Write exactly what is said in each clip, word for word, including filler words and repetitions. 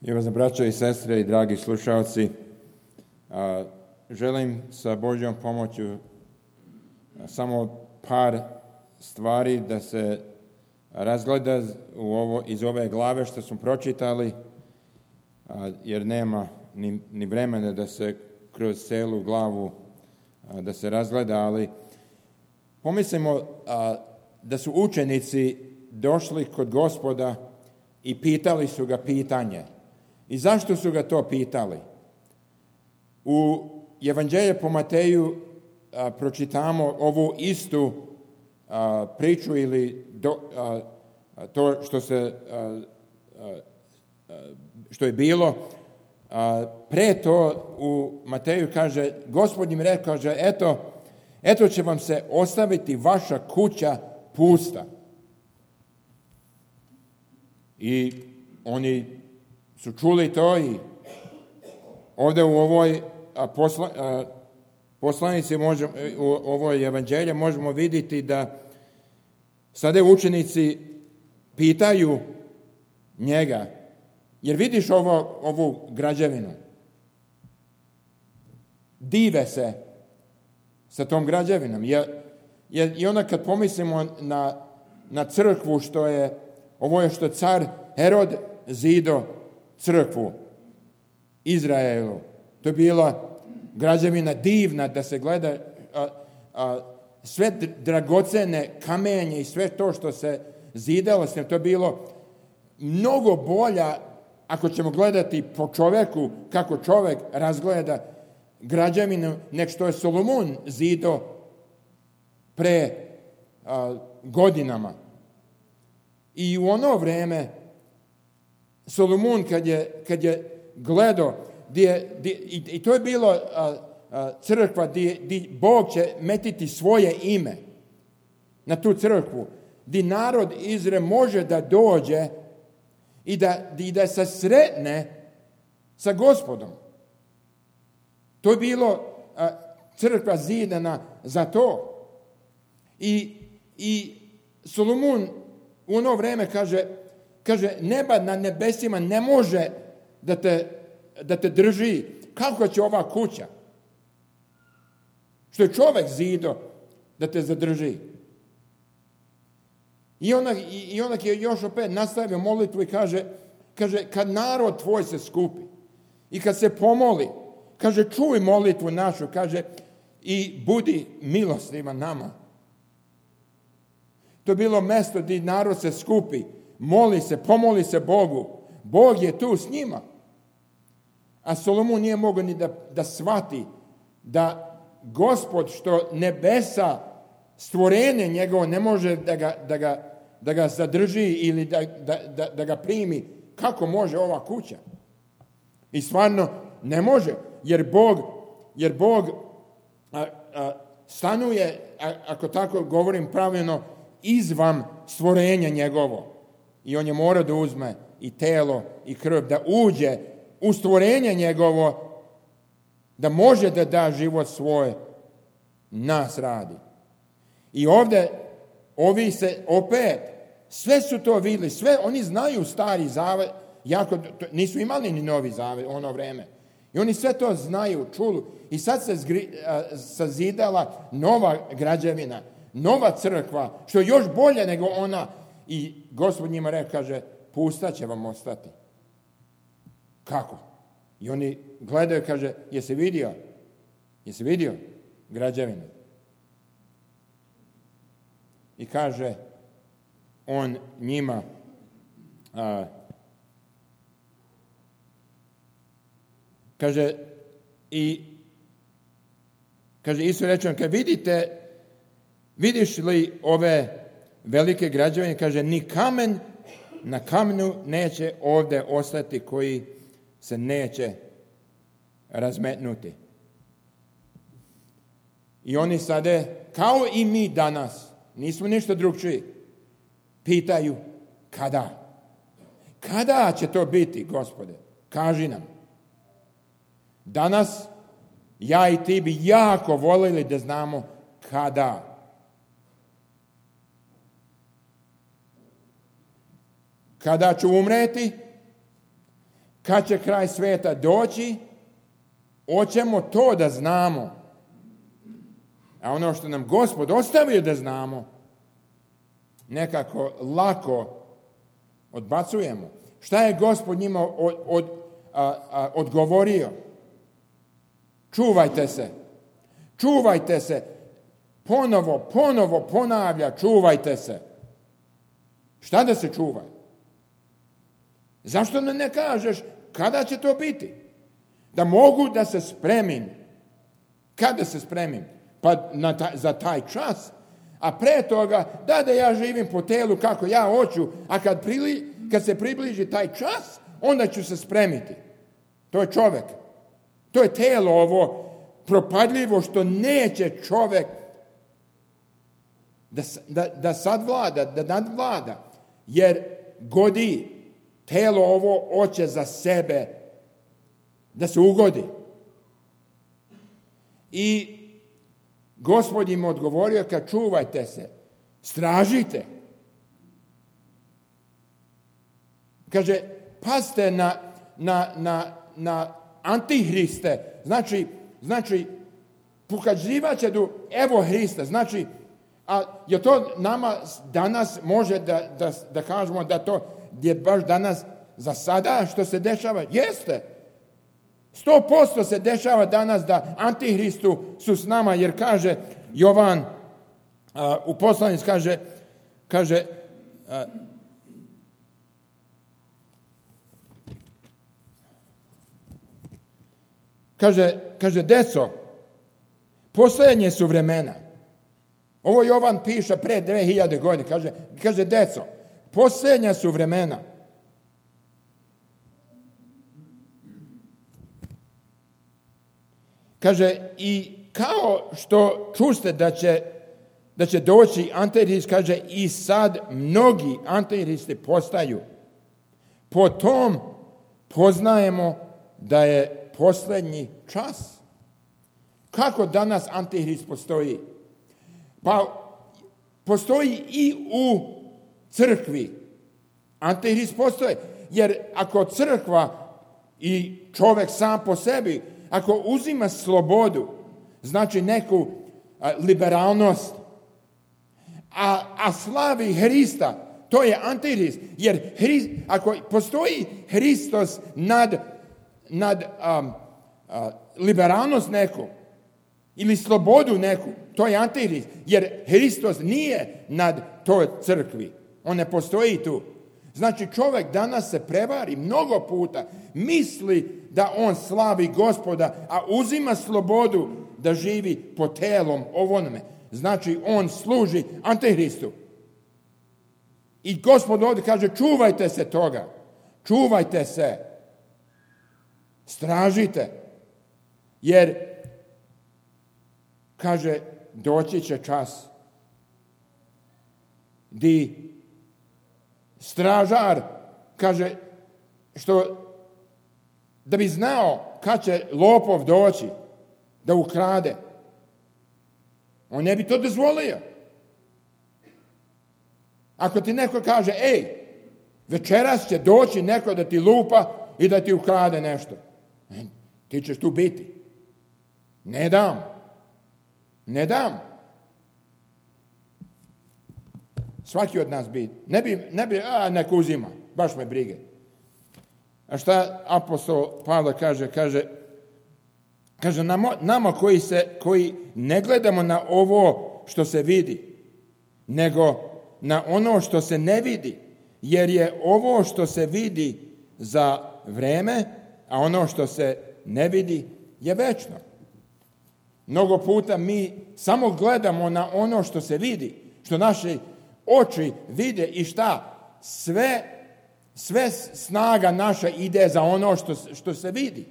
Ljubazne braćo i sestre i dragi slušalci, želim sa Božjom pomoću samo par stvari da se razgleda u ovo, iz ove glave što smo pročitali, jer nema ni, ni vremena da se kroz celu glavu da se razgleda, ali pomislimo da su učenici došli kod Gospoda i pitali su ga pitanje. I zašto su ga to pitali? U Evanđelju po Mateju a, pročitamo ovu istu a, priču ili do, a, a, to što se a, a, što je bilo. A, pre to u Mateju kaže, Gospod im rekao, kaže, eto, eto će vam se ostaviti vaša kuća pusta. I oni su čuli to i ovdje u ovoj a, posla, a, poslanici, možemo, u ovoj evanđelju možemo vidjeti da sada učenici pitaju njega, jer vidiš ovo, ovu građevinu, dive se sa tom građevinom. Jer, jer, I onda kad pomislimo na, na crkvu, što je, ovo je što car Herod zido crkvu Izraelu. To je bila građevina divna da se gleda, a, a, sve dragocene kamenje i sve to što se zidalo, to je bilo mnogo bolja, ako ćemo gledati po čoveku, kako čovek razgleda građevinu, nek što je Solomon zido pre a, godinama. I u ono vreme Solomon kad je, kad je gledao, gdje, gdje, i, i to je bilo a, a, crkva gdje, gdje Bog će metiti svoje ime na tu crkvu, gdje narod Izrael može da dođe i da, i da se sretne sa Gospodom. To je bilo a, crkva zidana za to. I, i Solomon u ono vreme kaže, Kaže, neba na nebesima ne može da te, da te drži. Kako će ova kuća, što je čovek zido, da te zadrži? I onda, i onda je još opet nastavio molitvu i kaže, kaže, kad narod tvoj se skupi i kad se pomoli, kaže, čuj molitvu našu, kaže, i budi milostivan nama. To je bilo mesto gdje narod se skupi, moli se, pomoli se Bogu. Bog je tu s njima. A Solomon nije mogao ni da, da shvati da Gospod, što nebesa, stvorenje njegovo, ne može da ga, da ga, da ga zadrži ili da, da, da, da ga primi. Kako može ova kuća? I stvarno ne može, jer Bog, jer Bog a, a, stanuje, a, ako tako govorim pravilno, izvan stvorenja njegovo. I on je mora da uzme i telo i krv, da uđe u stvorenje njegovo, da može da da život svoj, nas radi. I ovdje, ovi se opet, sve su to vidjeli, sve, oni znaju stari zavet, jako, nisu imali ni novi zavet u ono vreme. I oni sve to znaju, čulu. I sad se zgri, a, sazidala nova građevina, nova crkva, što je još bolje nego ona. I Gospod njima rekao, kaže, pusta će vam ostati. Kako? I oni gledaju, kaže, jesi vidio? Jesi vidio građevinu? I kaže on njima, a, kaže, i kaže, Isus reče, kad vidite, vidiš li ove velike građevine, kaže, ni kamen na kamenu neće ovdje ostati koji se neće razmetnuti. I oni sada, kao i mi danas, nismo ništa drugčiji, pitaju kada? Kada će to biti, Gospode? Kaži nam. Danas ja i ti bi jako voljeli da znamo kada. Kada ću umreti? kad će kraj svijeta doći, hoćemo to da znamo. A ono što nam Gospod ostavio da znamo, nekako lako odbacujemo. Šta je Gospod njima od, od, a, a, odgovorio? Čuvajte se. Čuvajte se. Ponovo, ponovo ponavlja, čuvajte se. Šta da se čuva? Zašto ne, ne kažeš kada će to biti? Da mogu da se spremim. Kada se spremim? Pa na ta, za taj čas. A pre toga, da da ja živim po telu kako ja hoću, a kad, prili, kad se približi taj čas, onda ću se spremiti. To je čovjek. To je telo ovo propadljivo što neće čovjek da, da, da sadvlada, da nadvlada. Jer godi, telo ovo hoće za sebe da se ugodi. I Gospod im odgovorio, kad čuvajte se, stražite. Kaže, pazite na, na, na, na antihriste. Znači, znači pokazivat će do evo Hrista. Znači, a je to nama danas može da, da, da kažemo da to je baš danas za sada što se dešava? Jeste. Sto posto se dešava danas da antihristu su s nama, jer kaže Jovan a, u poslanici kaže, kaže a, kaže, kaže deco, posljednje su vremena. Ovo Jovan piše pre dve hiljade godine. Kaže, kaže deco, posljednja su vremena. Kaže, i kao što čuste da će, da će doći antihrist, kaže, i sad mnogi antihristi postaju. Po tom poznajemo da je posljednji čas. Kako danas antihrist postoji? Pa postoji i u crkvi. Antihrist postoji. Jer ako crkva i čovjek sam po sebi, ako uzima slobodu, znači neku a, liberalnost, a, a slavi Hrista, to je antihrist. Jer Hrist, ako postoji Hristos nad, nad um, a, liberalnost neku, ili slobodu neku, to je antihrist. Jer Hristos nije nad toj crkvi. On ne postoji tu. Znači čovjek danas se prevari mnogo puta, misli da on slavi Gospoda, a uzima slobodu da živi po telom ovome. Znači on služi antihristu. I Gospod ovdje kaže, čuvajte se toga. Čuvajte se. Stražite. Jer, kaže, doći će čas di stražar, kaže, što da bi znao kad će lopov doći da ukrade, on ne bi to dozvolio. Ako ti neko kaže, ej, večeras će doći neko da ti lupa i da ti ukrade nešto, ti ćeš tu biti. Ne dam. Ne dam. Svaki od nas bi, ne bi, ne bi, a nek uzima, baš me brige. A šta apostol Pavle kaže, kaže, kaže nama, nama koji, se, koji ne gledamo na ovo što se vidi, nego na ono što se ne vidi, jer je ovo što se vidi za vreme, a ono što se ne vidi je večno. Mnogo puta mi samo gledamo na ono što se vidi, što naši oči vide i šta? Sve, sve snaga naša ide za ono što, što se vidi.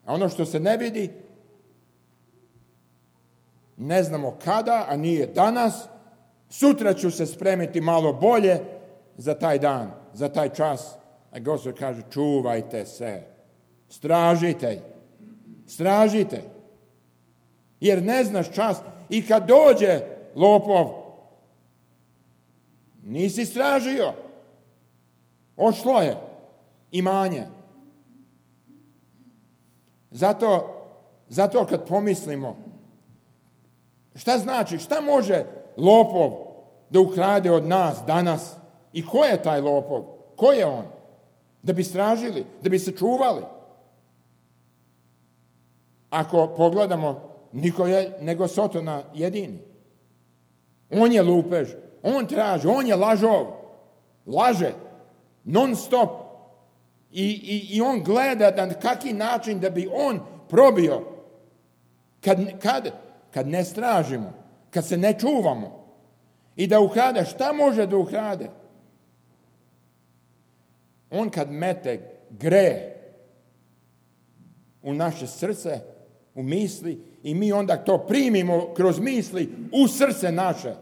A ono što se ne vidi, ne znamo kada, a nije danas. Sutra ću se spremiti malo bolje za taj dan, za taj čas. A Gospod kaže, čuvajte se, stražite, stražite. Jer ne znaš čas i kad dođe lopov, nisi stražio. Ošlo je imanje. Zato, zato kad pomislimo, šta znači, šta može lopov da ukrade od nas danas? I ko je taj lopov? Ko je on? Da bi stražili, da bi se čuvali. Ako pogledamo, niko je nego Sotona jedini. On je lupež, on traži, on je lažov. Laže, non stop. I, i, i on gleda na kaki način da bi on probio. Kad, kad, kad ne stražimo, kad se ne čuvamo. I da ukrade, šta može da ukrade? On kad mete gre u naše srce, u misli, i mi onda to primimo kroz misli u srce naše.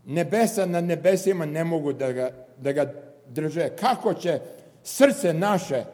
Nebesa na nebesima ne mogu da ga, da ga drže. Kako će srce naše,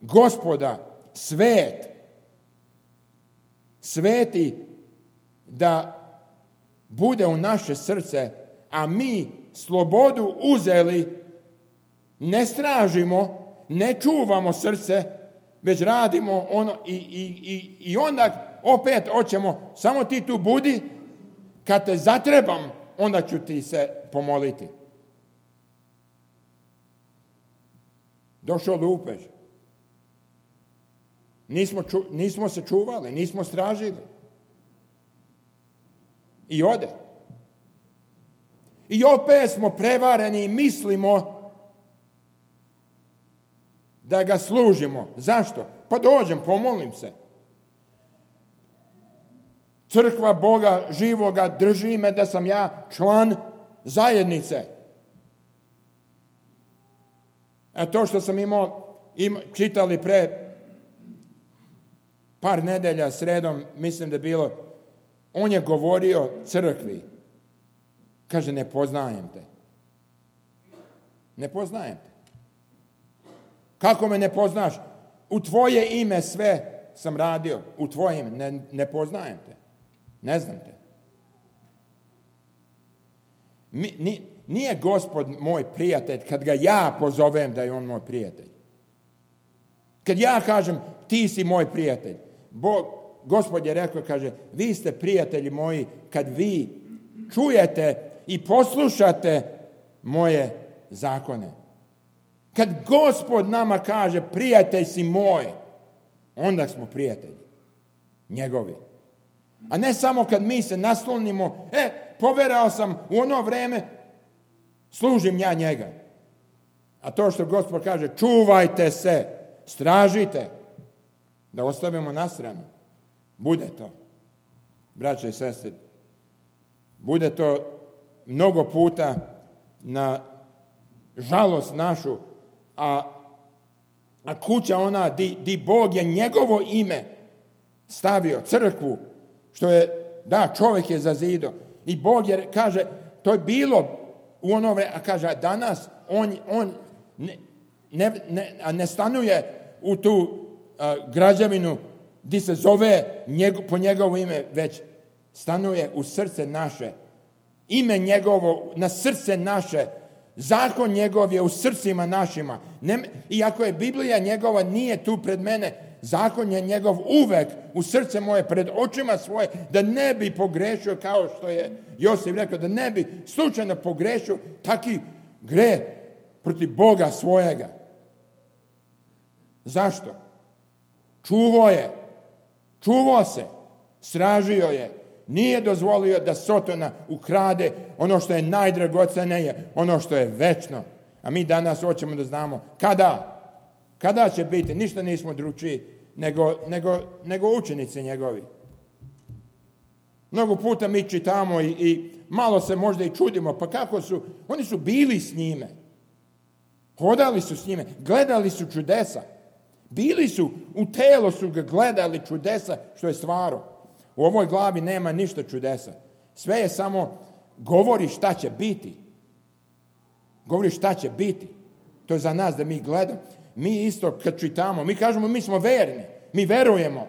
Gospoda, svet, sveti, da bude u naše srce, a mi slobodu uzeli, ne stražimo, ne čuvamo srce, već radimo ono i, i, i, i onda opet hoćemo, samo ti tu budi, kad te zatrebam, onda ću ti se pomoliti. Došao lupež. Nismo, ču, nismo se čuvali, nismo stražili. I ode. I opet smo prevareni i mislimo da ga služimo. Zašto? Pa dođem, pomolim se. Crkva Boga živoga drži me da sam ja član zajednice. A to što sam imao, im, čitali pre par nedelja sredom, mislim da je bilo, on je govorio crkvi. Kaže, ne poznajem te. Ne poznajem te. Kako me ne poznaš? U tvoje ime sve sam radio. U tvoje ime. Ne, ne poznajem te. Ne znam te. Mi, ni, nije Gospod moj prijatelj kad ga ja pozovem da je on moj prijatelj. Kad ja kažem, ti si moj prijatelj. Bog, Gospod je rekao, kaže, vi ste prijatelji moji kad vi čujete i poslušate moje zakone. Kad Gospod nama kaže, prijatelj si moj, onda smo prijatelji njegovi. A ne samo kad mi se naslonimo, e, poverao sam u ono vreme, služim ja njega. A to što Gospod kaže, čuvajte se, stražite, da ostavimo na stranu. Bude to, braće i sestre, bude to mnogo puta na žalost našu, a, a kuća ona di, di Bog je njegovo ime stavio, crkvu, što je, da, čovjek je za zido. I Bog je, kaže, to je bilo u ono vreme, a kaže, danas on, on ne, ne, ne, ne stanuje u tu a, građevinu gdje se zove njego, po njegovo ime, već stanuje u srce naše. Ime njegovo na srce naše. Zakon njegov je u srcima našima. Ne, iako je Biblija njegova nije tu pred mene, zakon je njegov uvek u srce moje, pred očima svoje, da ne bi pogrešio, kao što je Josif rekao, da ne bi slučajno pogrešio taki gre protiv Boga svojega. Zašto? Čuvao je. Čuvao se. Stražio je. Nije dozvolio da Sotona ukrade ono što je najdragocenije, ono što je večno. A mi danas hoćemo da znamo kada. Kada će biti? Ništa nismo drugčiji nego, nego, nego učenici njegovi. Mnogo puta mi čitamo i, i malo se možda i čudimo. Pa kako su? Oni su bili s njime. Hodali su s njime. Gledali su čudesa. Bili su, u telo su ga gledali čudesa što je stvaro. U ovoj glavi nema ništa čudesa. Sve je samo govori šta će biti. Govori šta će biti. To je za nas da mi gledamo. Mi isto kad čitamo, mi kažemo mi smo verni. Mi verujemo.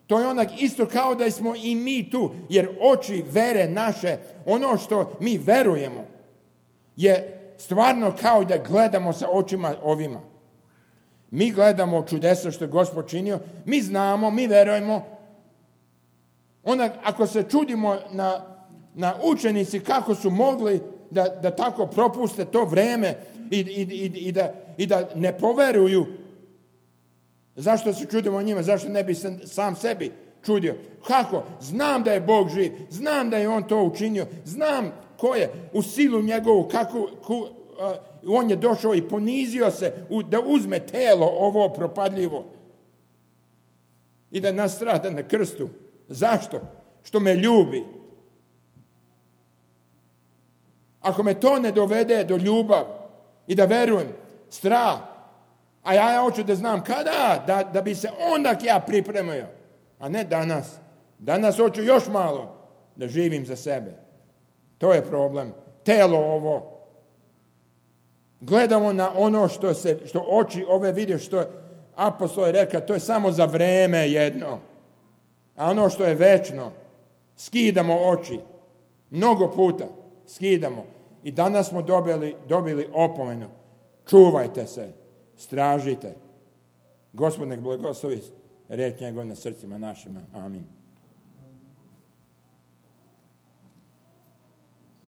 To je onak isto kao da smo i mi tu. Jer oči vere naše, ono što mi verujemo. je stvarno kao da gledamo sa očima ovima. Mi gledamo čudesa što je Gospod činio, mi znamo, mi verujemo. Onda, ako se čudimo na, na učenici kako su mogli da, da tako propuste to vreme i, i, i, i, da, i da ne poveruju, zašto se čudimo njima, zašto ne bi se sam sebi čudio? Kako? Znam da je Bog živ, znam da je On to učinio, znam ko je u silu njegovu, kako, ku, uh, on je došao i ponizio se u, da uzme telo ovo propadljivo i da nastrada na krstu. Zašto? Što me ljubi. Ako me to ne dovede do ljubav i da verujem, strah, a ja, ja hoću da znam kada, da, da bi se onda ja pripremio, a ne danas. Danas hoću još malo da živim za sebe. To je problem. Telo ovo. Gledamo na ono što, se, što oči ove vide, što apostol je rekao, to je samo za vreme jedno. A ono što je večno, skidamo oči. Mnogo puta skidamo. I danas smo dobili, dobili opomenu. Čuvajte se, stražite. Gospod nek blagoslovi riječ njegov na srcima našima. Amin.